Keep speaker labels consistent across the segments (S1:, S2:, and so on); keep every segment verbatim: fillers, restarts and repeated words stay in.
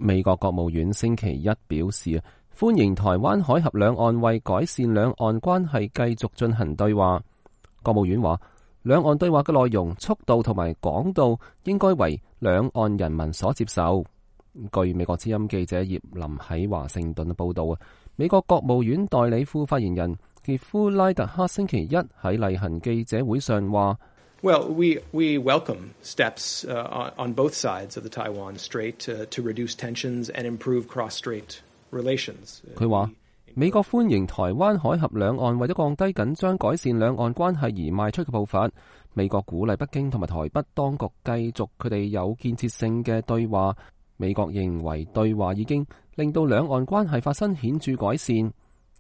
S1: 美國國務院星期一表示，歡迎台灣海峽兩岸為改善兩岸關係繼續進行對話。國務院話，兩岸對話嘅內容、速度同埋廣度應該為兩岸人民所接受。據美國之音記者葉林喺華盛頓報道啊，美國國務院代理副發言人傑夫拉特克星期一喺例行記者會上話
S2: ：Well, we we welcome steps uh, on both sides of the Taiwan Strait to, to reduce tensions and improve cross-strait relations.
S1: 佢話美國歡迎台灣海峽兩岸為咗降低緊張、改善兩岸關係而邁出嘅步伐。美國鼓勵北京同埋台北當局繼續佢哋有建設性嘅對話。美國認為對話已經令到兩岸關係發生顯著改善。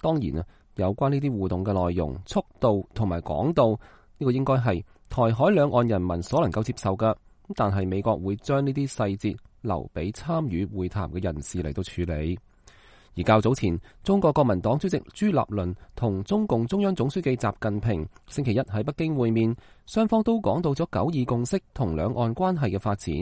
S1: 當然啊，有關呢啲互動嘅內容、速度同埋廣度，呢個應該係台海兩岸人民所能夠接受嘅。但係美國會將呢啲細節留俾參與會談嘅人士嚟到處理。而較早前，中國國民黨主席朱立倫同中共中央總書記習近平星期一喺北京會面，雙方都講到咗九二共識同兩岸關係嘅發展。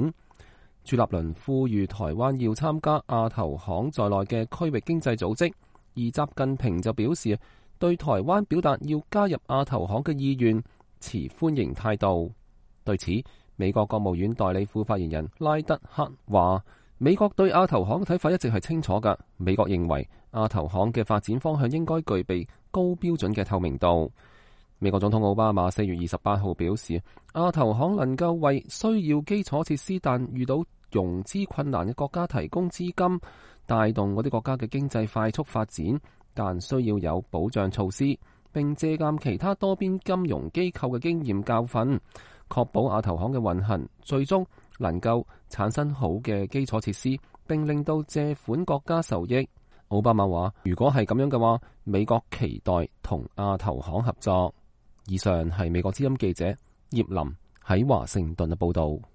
S1: 朱立倫呼籲台灣要參加亞投行在內嘅區域經濟組織，而習近平就表示對台灣表達要加入亞投行嘅意願持歡迎態度。對此，美國國務院代理副發言人拉德克話：美國對亞投行嘅睇法一直係清楚㗎。美國認為亞投行嘅發展方向應該具備高標準嘅透明度。美國總統奧巴馬四月二十八號表示，亞投行能夠為需要基礎設施但遇到融資困難嘅國家提供資金，帶動嗰啲國家嘅經濟快速發展，但需要有保障措施，並借鑑其他多邊金融機構嘅經驗教訓，確保亞投行嘅運行最終能夠產生好嘅基礎設施，並令到借款國家受益。奧巴馬話：如果係咁樣嘅話，美國期待同亞投行合作。以上係美國之音記者葉林喺華盛頓嘅報道。